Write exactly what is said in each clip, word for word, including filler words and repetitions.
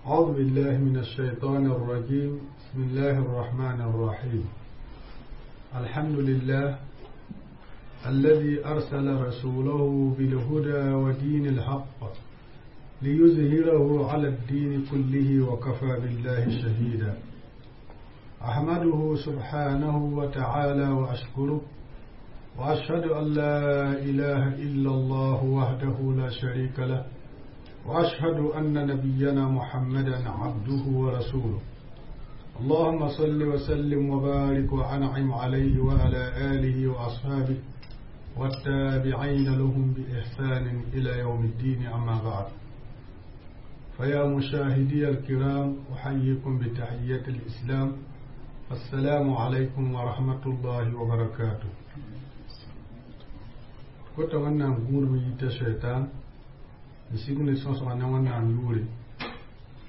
أعوذ بالله من الشيطان الرجيم. بسم الله الرحمن الرحيم. الحمد لله الذي أرسل رسوله بالهدى ودين الحق ليظهره على الدين كله وكفى بالله شهيدا. أحمده سبحانه وتعالى وأشكره، وأشهد أن لا إله إلا الله وحده لا شريك له، وأشهد أن نبينا محمدا عبده ورسوله. اللهم صل وسلم وبارك وأنعم عليه وعلى آله وأصحابه والتابعين لهم بإحسان إلى يوم الدين. أما بعد، فيا مشاهدي الكرام، أحييكم بتحية الإسلام. السلام عليكم ورحمة الله وبركاته. Kota wẽnnaam gũudb yita shaitan n sig ne sõsga ne wẽnnaam yʋʋre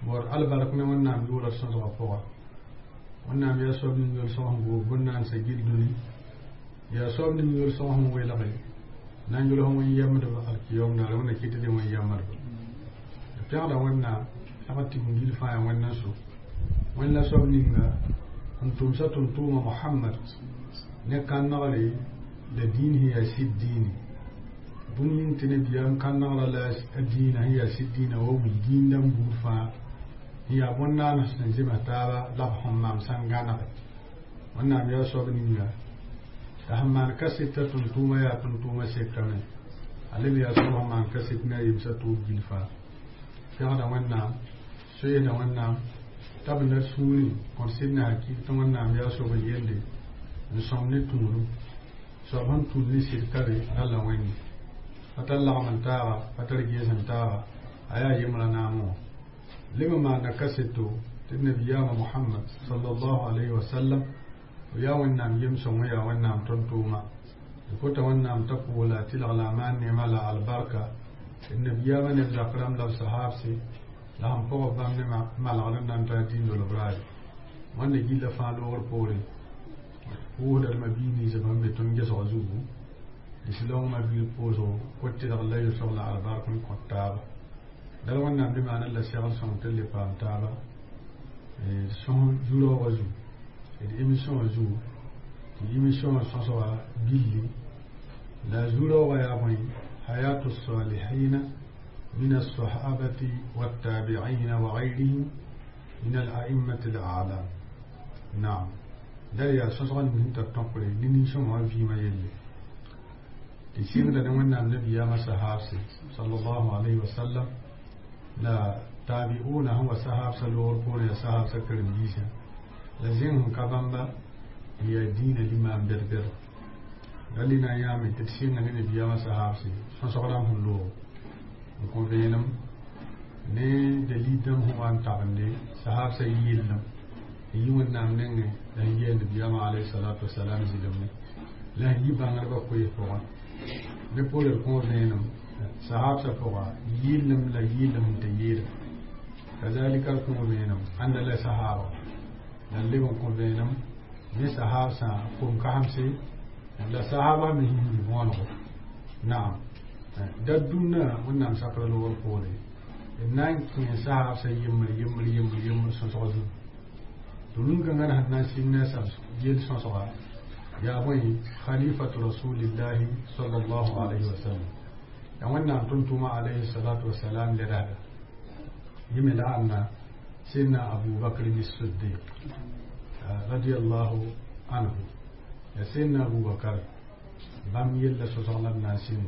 bor albark ne wẽnnaam yʋʋra sõsga pʋga. Wẽnnaam yaa soab ning yol sõs n goog bõn-naansa gil dũni, yaa soab ning yol sõs n welge na n yʋls wẽn yɛmdb alkiyom daare. Wẽnna kɩt tɩ wẽn yɛmdb d pẽgda wẽnnaam pẽgd tigim gil fãa yaa wẽnd n so wẽnd la soab ninga n tʋmsa tʋm-tʋʋma Mohamad ne kãnegre la dĩin sẽn yaa sɩd dĩine. Bũmb yĩng tɩ nabiyaam kãnegra la a dĩinã sẽn yaa sɩd dĩinã wa wil dĩindãmb buud fãa n yaa bõn-naans sẽn zems taaba la b sẽn maam sã n gãnege. Wẽnnaam yaa soab ninga t'a sẽn maan kaseta tʋm-tʋʋma yaa tʋm-tʋʋma sekame a leb yaa soab sẽn maan kaset ne a yemsã tʋʋb gil fãa. Pẽgda Wẽnnaam, soeesda Wẽnnaam t'a b na sũurẽ kõt sɩd ne hakɩɩk tɩ Wẽnnaam yaa soab n yelde n sõm ne tũudum soab sẽn tũud ne sɩd ka be ralla wẽnde pa tar lagm n taaga, pa tar gees n taaga, a yaa yembrã naamẽ wã leb n maanda kaseto tɩ nabiyaamã Mohamad sallallahu alayhi wa sallam b yaa Wẽnnaam yem-sõng, yaa Wẽnnaam tõn-tʋʋma. D kota Wẽnnaam t'a pʋʋs la a tɩlg la a maan neemã la albarka d nabiyaamã neb zak rãmb la b sahaabse la sẽn pʋgb bãmb ne malgr n na n taa dĩn-dolb raaye. Wãnda gilla fãa loogr poorẽ pʋʋsda d ma-biig nins bãmb be tõnd gesg zugu lislaoong ma-biig pʋʋsgo kot tɩlg la yʋsg la albark n kõt taaba dal. Wẽnnaam bɩ maana la segl sõng tɩ le paam taaba sõs zu-raoogã zugu d émission wã zugu tɩ émission wã sõsga billi la zu-raoogã yaa bõe? حياة الصالحين من الصحابة والتابعين وغيرهم من الأئمة الأعلام. نعم، da yaa sõsg ning sẽn tar tõkre ne nin-sõma wã vɩɩmã yelle tɩ sɩngda ne Wẽnnaam nabiyaamã sahaabse sallallahu alayhi wa sallam la tabi'una sẽn wa sahaabsã loogr poorẽ yaa sahaabsã karen-biisã la zẽng sẽn ka bãmba n yaa dĩinã limaam bɛd-bɛd rali na n yãame tɩ d sɩnga ne nabiyaamã sahaabse sõsg rãmb sẽn loog n kõ vẽenem ne dalil dãmb sẽn wa n tabende sahaabsã yɩllem n yi Wẽnnaam nengẽ la sẽn yɩ nabiyaamã alayhi salatu wasalam zɩlemne la sẽn yi bãngdbã koees pʋgẽ ne poore d kõ vẽenem sahaabsã pʋga yɩllem la yɩllem sẽn tɩ yɩɩda kazalika d kõ vẽenem ãnda la sahaaba la n leb n kõ vẽenem ne sahaabsã kom-kasemse la sahaba me sẽn võonego. Naam, da dũnna Wẽnnaam sakra loogr poore d na n kẽ sahaabsã yembr yembr yembr yembr sõsg zugu tɩ rũn-kãngã sẽn na n sɩng ne a sab yel sõsga yaa bõe? Khalifatu rasulillahi sallallahu alayhi wa sallam yaa Wẽnnaam tʋm-tʋʋma alayhi salatu wasalam ledasda yẽ me la ãnna Sidna Abu Bakr Siddiq radiallahu anhu. Ya Sidna Abubakar bãmb yella sõsg la d na n sɩng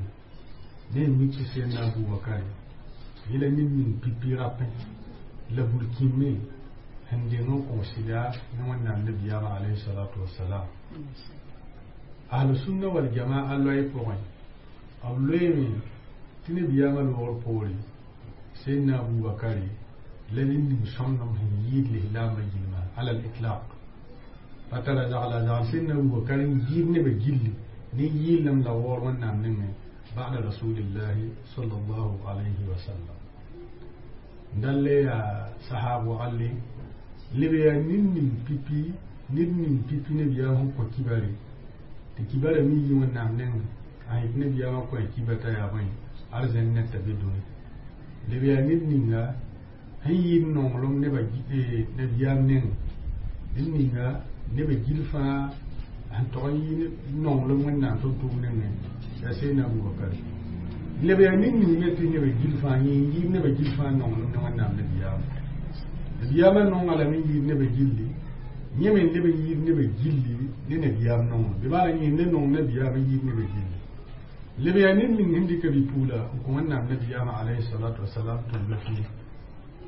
ne n mik tɩ Sidna Abubakar yẽla ned ning pipi rapẽ la burkĩme sẽn deng n kõ sɩda ne Wẽnnaam nabiyaamã alayhi salatu wasalam. Ahlusunna wal jamaa loɛɛ pʋgẽ b loeeme tɩ nabiyaamã loogr poore Sidna Abubakari la ned ning sõmdem sẽn yɩɩd lislaambã gilma alal itlaq pa tara zagla zagl Sidna Abubakar n yɩɩd nebã gilli ne yɩɩlem la waoor Wẽnnaam nengẽ ba'da rasulillahi sallallahu alayhi wa sallam. Dal yaa sahab waglle leb yaa ned ning pipi ned ning pipi nabiyaam sẽn kõ kibare tɩ kibara mi yi Wẽnnaam nengẽ a yet nabiyaamã kõ a kiba t'a yaa bõe arzẽn ned t'a be dũni leb yaa ned ninga. sẽn yɩɩd nonglem nebã nabiyaam nengẽ ned ninga nebã gil fãa sẽn tog n yɩ nonglem wẽnnaam tʋm-tʋʋm nengẽ yaa Seydina Abubakar leb yaa ned ning me tɩ nebã gil fãa yẽ n yɩɩd nebã gil fãa nonglem ne wẽnnaam nabiyaam nabiyaamã nonga lame n yɩɩd nebã gilli yẽ me leb n yɩɩd nebã gilli ne nabiyaam nonglem bɩ maana yẽ ne nong nabiyaam n yɩɩd nebã gilli leb yaa ned ning sẽn dɩka bi-pugla n kõ wẽnnaam nabiyaamã alayhi salatu wasalam tʋm la fii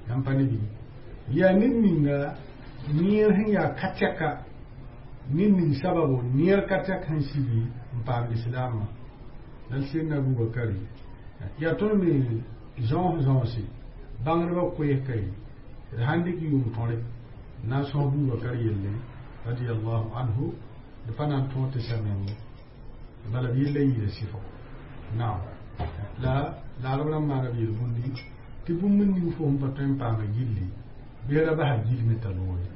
yãmb pa ne bɩ yaa ned ninga neer sẽn yaa ka tɛka ned ning sababo neer ka tɛk sẽn sigi n paam lislaamã la Seydina Abubakari yaa tõnd me zãos zãosi bãngdbã koees-ka ye d sãn dɩk yʋʋm tõre n na n sõs Bubakar yelle radiallahu anhu d pa na n tõog tɩ sa meng bala b yella yɩɩda sɩfg naam la laarb rãmb maana b yel-bũndi tɩ bũmb ning fo sẽn pa tõe n paama gilli bɩ ra basa gilme t'a loore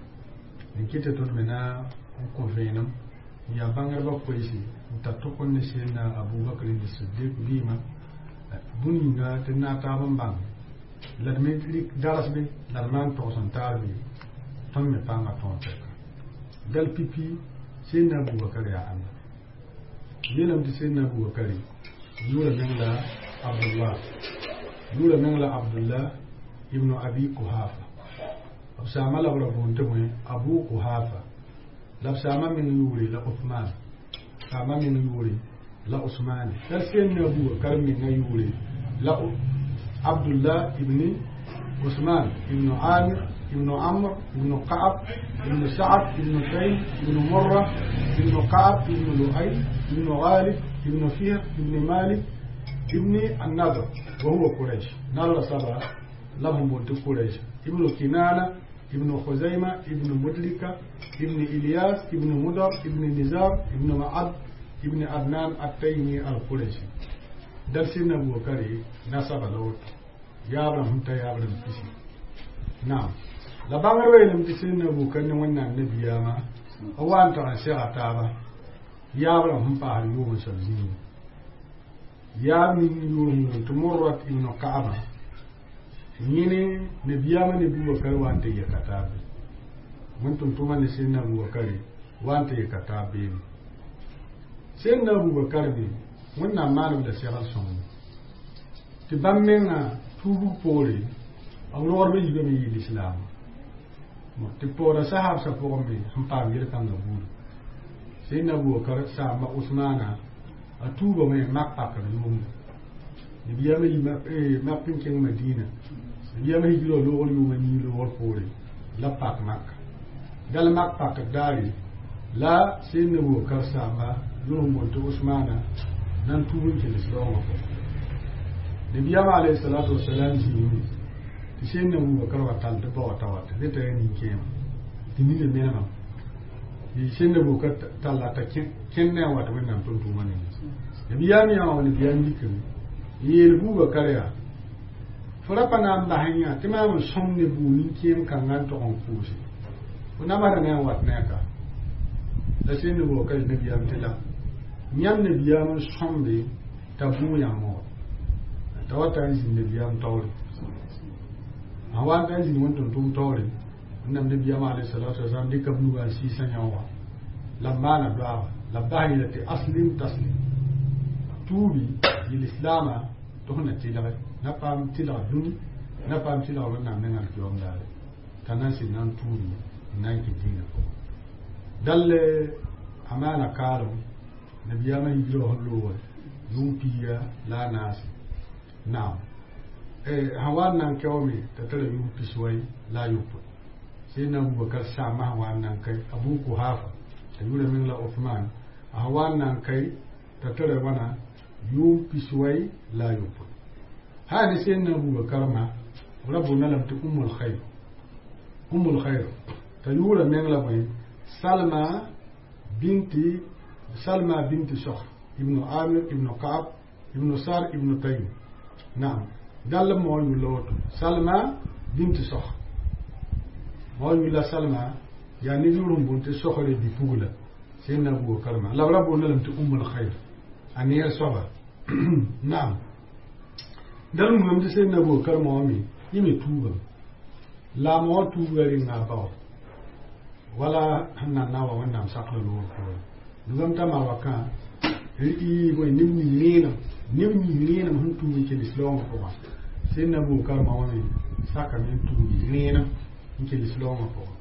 n kɩ tɩ tõnd me na n kõ vẽenem n yaa bãngdbã koeese n tar tʋk n ne Seydina Abubakr ne Siddiq vɩɩmã bũn yĩnga tɩ d na taab n bãng la d me rɩk darsbe la d maan togs n taar be tõnd me pãnga tõog tɛka dal pipi Seydina Abubakar yaa ãnda yeelame tɩ Seydina Abubakari yʋʋra meng la Abdullah yʋʋra meng la Abdullah ibn Abi Kuhafa b saama la b ra boond tɩ bõe Abu Kuhafa la b saama meng yʋʋre la Uthman saama meng yʋʋre la Usmane la Seydina Abubakar menga yʋʋre la Abdullah ibn Usman ibn Amir ibn Amr ibn Ka'ab ibn Sa'ad ibn Taym ibn Murra ibn Ka'ab ibn Lu'ay ibn Ghalib ibn Fihr ibn Malik ibn An-Nadr wa huwa Quraysh نال سبا لهم بنت قريش ابن كنانة ابن خزيمة ابن مدلكة ابن إلياس ابن مدر ابن نزار ابن معد ابن عدنان التيمي القريشي دل سيدنا أبو بكر نسب لوت يا أبراهيم تا يا أبراهيم كيسي نعم la bãngr yeelame tɩ Seydina Abubakar ne wẽnnaam nabiyaamã b wa n tag n sega taaba yaab rãmb sẽn paasd yʋʋm soab zĩigẽ yaab ning yʋʋr sẽn tɩ Murrat ibn Ka'aba yẽne nabiyaamã ne Bubakar wa n tɩ yɛka taab be wẽn tʋm-tʋʋmã ne Seydina Abubakar wa n tɩ yɛka taab beene Seydina Abubakar me wẽnnaam maan b la segl sõng tɩ bãmb mengã tuubg poore b rogdbã yiibame yɩ lislaam tɩ paooda sahaabsã pʋgẽ me sẽn paam yel-kãngã buudu Seydina Abubakar saamba Usmaana a tuubame mak pakr yʋʋmda nabiyaamã yi mak n kẽng Madina nabiyaamã hijrã loogr yʋʋma nii loogr poore la pak maka dal mak pakr daare la Seydina Abubakar saamba yʋr n boond tɩ Usmaana nan tuub n keles raoongã pʋgẽ nabiyaamã alayhi salatu wasalam zĩime tɩ Seydina Abubakar wa tall tɩ bao t'a wata ne t'a yaa nin-kẽema tɩ nina menemã tɩ Seydina Abubakar talla t'a kẽnd ne a wat wẽnnaam tʋm-tʋʋmã nengẽ nabiyaam yã wã nabiyaam yikame n yeel Bubakar yaa fo ra pa na n bas n yã tɩ maam n sõm ne buu nin-kẽem kãngã n tog n kʋʋse fo namsda ne a wat ne a ka la Seydina Abubakar nabiyaam tɩ la yãmb nabiyaam n sõmbe t'a bũu yãmb wa t'a wata n zĩnd nabiyaam taoore sã wa n ta n zĩnd wẽn tʋm-tʋʋm taoore wẽnnaam nabiyaam alayhi salatu wasalam dɩka b nuga n sɩɩsã yã wã la b maana doaaba la b bas yeela tɩ aslim taslim tuubi yel-islaamã tɩ f na tɩlge na paam tɩlg dũni na paam tɩlg wẽnnaam nengã d daare t'a na n sɩd na n tuubi n na n kɩ dĩinã pʋgẽ dall a maana kaalem nabiyaamã hijrã sẽn loogre yʋʋm piiga la a naase naam sã wa n na n kaoome t'a tara yʋʋm piswai la a yopoe Seydina Abubakar saambã sã wa n na n kae Abu Kuhafa t'a yʋʋra meng la Uthman a sã wa n na n kae t'a tara wãna yʋʋm piswai la a yopoe ha ne Seydina Abubakar ma b ra boonda lame tɩ Ummul Khair Ummul Khair t'a yʋʋra meng la bõe Salma binti Salma binti Sokh ibn Amir ibn Ka'ab ibn Sar ibn Taym naam dall mo yulla woto Salma binti Sokh mo yulla Salma yaa ne yʋʋr n boond tɩ Sokre bi-pugla Seydina Abubakar ma la b ra boonda lame tɩ Ummul Khair a neer soaba naam dal mugame tɩ Seydina Abubakar moame yẽ me tuubame La ma wa tuuga rẽnga bao wala sẽn na n na wa wẽnnaam sakl loor poorẽ nugame t'a marwakã bõe neb ning rẽenem neb ning rẽenem sẽn tuug n kell slaoongã pʋgã sẽnna Abubakar ma wã me sakame n tuugi rẽenem n kell slaoongã pʋgã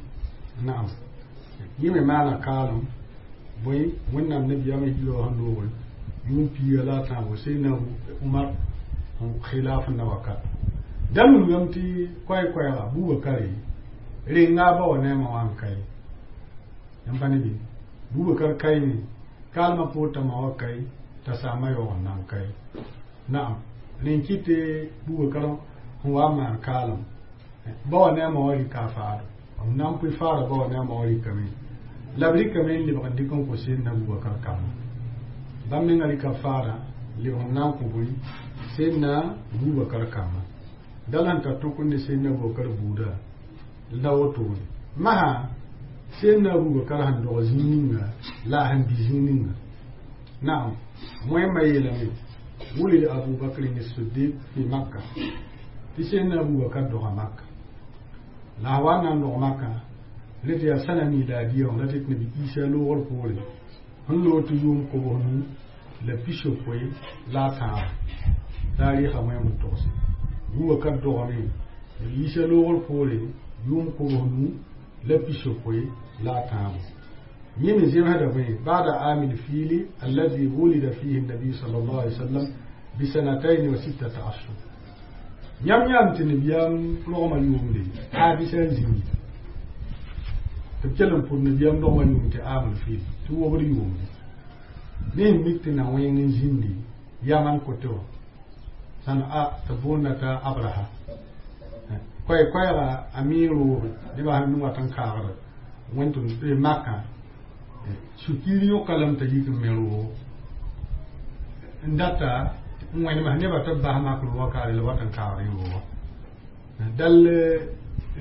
naam yẽ me maana kaalem bõe wẽnnaam nabiyaamã yila wã sẽn loogre yʋʋm piiga la a tãabo sẽnna Umar khilaf na wakat dal wilgame tɩ koɛɛ-koɛɛga Bubakare renga ba wa ne ma wan kai yãmb pa ne bɩ Bubakar kaime kalma pʋʋr ma wa kai t'a saama yaoog n na n kai naam rẽn kɩ tɩ Bubakar sẽn wa n maan kaalem ba wa ne a ma wa rɩka a faado b na n pʋɩ faada ba wa ne a ma wa rɩkame la b rɩkame n lebg n dɩk n kõ sẽnna Bubakar kamba bãmb menga rɩka faada lebg n na n kõ bõe sẽnna Bubakar kamba dal sẽn tar tõk n ne sẽnna Abubakar buuda la wotone masã sẽnna Abubakar sẽn dog zĩig ninga la a sẽn bɩ zĩig ninga naam wẽmma yeelame wulid Abu Bakr as-Siddiq fi Makka tɩ sẽnna Abubakar doga Makka la a wa n na n dog Makka rẽ tɩ yaa sãna miladiya wã la tɩ nabi Isa loogr poore sẽn loog tɩ yʋʋm kobs nu la pisopoe la a tãabo taarɩsã wẽem n togse Bubakar dogame nabi Isa loogr poore yʋʋm kobs nu la pisopoe la a tãabo yẽ me zemsda bõe bada amil fiili alladhi wulida fihi النبي صلى الله عليه وسلم بسنتين وستة أشهر yãmb yãam tɩ nabiyaam rogmã yʋʋmde aabisa n zĩndi tɩ b kell n pʋd nabiyaam rogmã yʋʋm tɩ amil fiil tɩ wobd yʋʋmde ne n mik tɩ na wẽng n zĩndi yaman kote wã sãn a tɩ boonda t'a Abraha koɛɛ-koɛɛga a mi rooge nebã sẽn n wat n kaagda wẽn tɩ makã sũ-kiir yõka lame t'a yik n me roogo n data n wẽnems nebã tɩ b bas mak roogã kaare la wat n kaagd roogã dal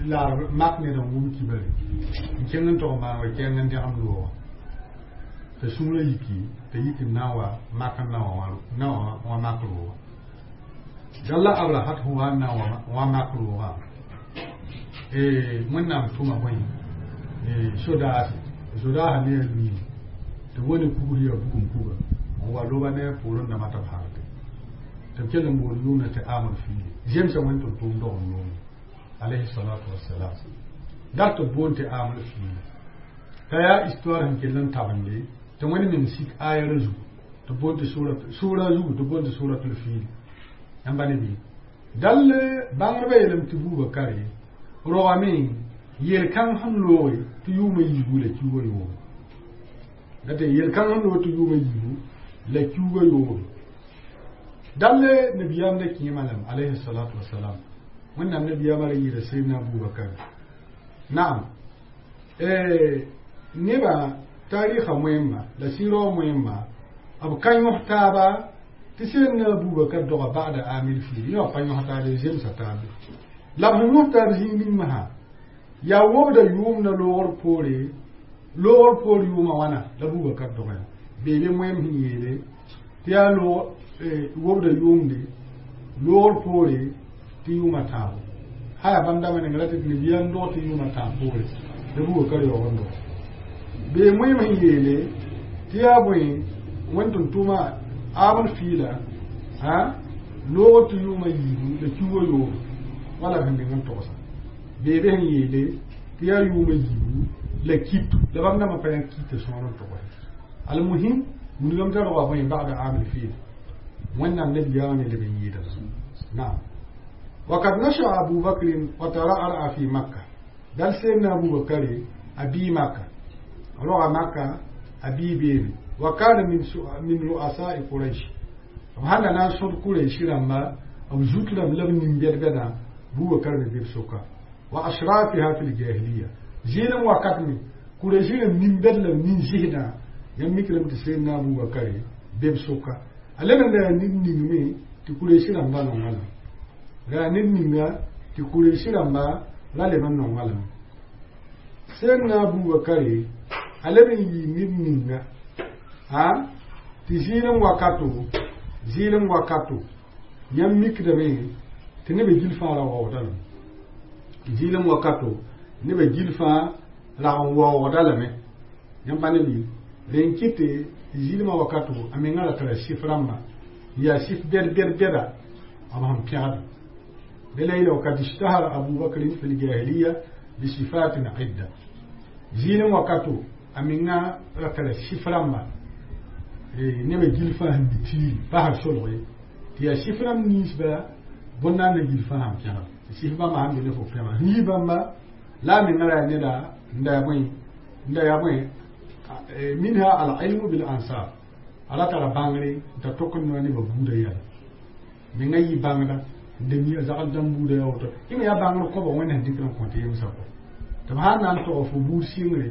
la mak ned n wʋm kibare n kẽng n tog maan wa kẽng n dẽgem roogã t'a sũurã yiki t'a yik n na n wa mak n na na wa mak roogã dal la Abrahat sẽn wa n na wa mak roogã wẽnnaam tʋma bõe sodaase sodaasã ne a luiim tɩ wone kugr yaa bugum kuga n wa loba ne a poorẽ dãmbã tɩ b halke tɩ b kell n bool yʋʋmda tɩ amr fiili zemsa wẽn tɩ tʋʋm dog n loome alayhi salatu wassalam dat tɩ b boon tɩ amr fiili t'a yaa histoire sẽn kell n tabende tɩ wẽnd meng sik ayara zugu tɩ boon tɩ sʋra zugu tɩ boon tɩ suratul fiili yãmba ne bɩ dal bãngdbã yeelame tɩ Bubakare rogame yel-kãng sẽn looge tɩ yʋʋmã yiibu la kiuugã yooge date yel-kãng sẽn loog tɩ yʋʋmã yiibu la kiuugã yooge dal nabiyaam da kẽema lame alayhi salatu wasalam wẽnnaam nabiyaamã ra yɩɩda sẽnna Abubakar naam nebã taarɩsã wẽmma la sɩ-raoog wẽmma b ka yõs taaba tɩ sẽnna Abubakar doga ba'da amil fiil yẽ wã pa yõs taaba zemsa taabe la b sẽn yõs taab zĩig ning masã yaa wobda yʋʋmda loogr poore loogr poor yʋʋmã wãna la Bubakar doga yã beebe wẽem sẽn yeele tɩ yaa wobda yʋʋmde loogr poore tɩ yʋʋmã tãabo haya bãmb dãmbã neng ra tɩ nabiyaam dog tɩ yʋʋmã tãab poore la Bubakar yaoog n dog bee wẽem sẽn yeele tɩ yaa bõe wẽn tʋm tʋʋma amr fiila loogr tɩ yʋʋmã yiibu la kiuugã yooge wala b sẽn meng n togsa beebe sẽn yeele tɩ yaa yʋʋmã yiibu la kitu la bãmb dãmbã pa yã kita sõor n togse almuhim wilgame t'a roga bõe ba'da amil fiil wẽnnaam nabiyaamã me leb n yɩɩda naam وقد نشأ أبو بكر وترعرع في مكة دل سيدنا أبو بكر أبي مكة رغى مكة أبي بيبي وكان من من رؤساء قريش وهذا ناس قريش لما أو زوت لم لم نمبر بنا بو بكر بيب سوكا وأشرافها في الجاهلية زين وقتني قريش لم نمبر لم ننزهنا يمك لم تسيدنا أبو بكر بيب سوكا ألم ننمي تقريش لما نعمل ra ned ninga tɩ kuresi rãmba ra leb n nonga lame sẽnna Abubakare a leb n yɩ ned ninga a tɩ zɩɩlem wakato zɩɩlem wakato yãmb mikdame tɩ nebã gil fãa ra waoodame Zɩlem wakato nebã gil fãa rag n waoogda lame. Yãmb pa ne bɩ rẽ n kɩt tɩ zɩlmã wakato a mengã ra tara sɩf rãmba n yaa sɩf bɛd bɛd bɛda b sẽn pẽgd la yɩla وقد اشتهر أبو بكر في الجاهلية بصفات عدة. Zɩlem wakato a menga ra tara sɩf rãmba nebã gil fãa sẽn bi tiiri pa sẽn solg ye tɩ yaa sɩf rãmb ninsba bõn-naanda gil fãa sẽn pẽgd tɩ sɩf bãmba sãn be ne fo pẽma sẽn yi bãmba la a menga ra yaa neda n da yaa bõe n da yaa bõe منها العلم بالأنساب a ra tara bãngre n ta tok n noa nebã buudã yɛla menga yɩ bãngda n da mi a zagl dãmb buudã yaa woto yẽ me yaa bãngr kõba wẽnd sẽn dɩkd n kõ tɩ yemsã kɔ tɩ b sãn na n tog fo buud sɩngre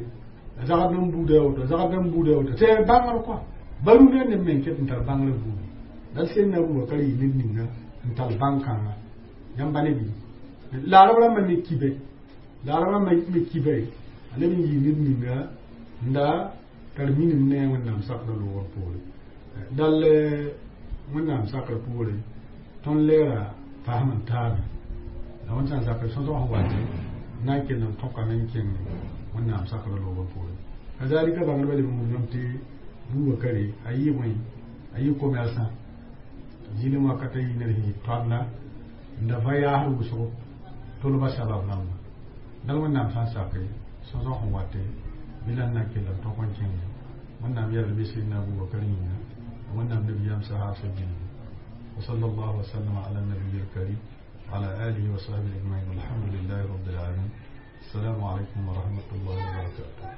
a zagl dãmb buudã yaa woto a zagl dãmb buudã yaa woto tɩ bãngr kɔa barũndã neb meng ket n tar bãngrã buudi dal sẽn Abubakar yɩ ned ninga n tar bãn-kãnga yãmb ne bɩ la arab rãmbã me kibe la arab rãmbã me kibe a leb n yɩ ned ninga n da tar minim ne wẽnnaam sakrã loogr poore dal wẽnnaam sakrã poore tõnd leera fasem n taabe la wẽnd sã n sakr sõsg sẽn wate na n kell n tõkame n kẽng wẽnnaam sakrã loogr poore kazalika bãngdbã leb n wilgame tɩ Bubakari a yɩ bõe a yɩ commerçant zĩlem wakata yɩ ned sẽn yɩ toanda n da va yaasd wʋsgo tolba sabab rãmba dal wẽnnaam sã n sake sõsg sẽn wate bilan na kell n tõk n kẽnge wẽnnaam yɛl bɩ sɩdna Abubakar yĩnga wẽnnaam nabiyaam sahab gilli وصلى الله وسلم على النبي الكريم وعلى آله وصحبه أجمعين والحمد لله رب العالمين. السلام عليكم ورحمة الله وبركاته.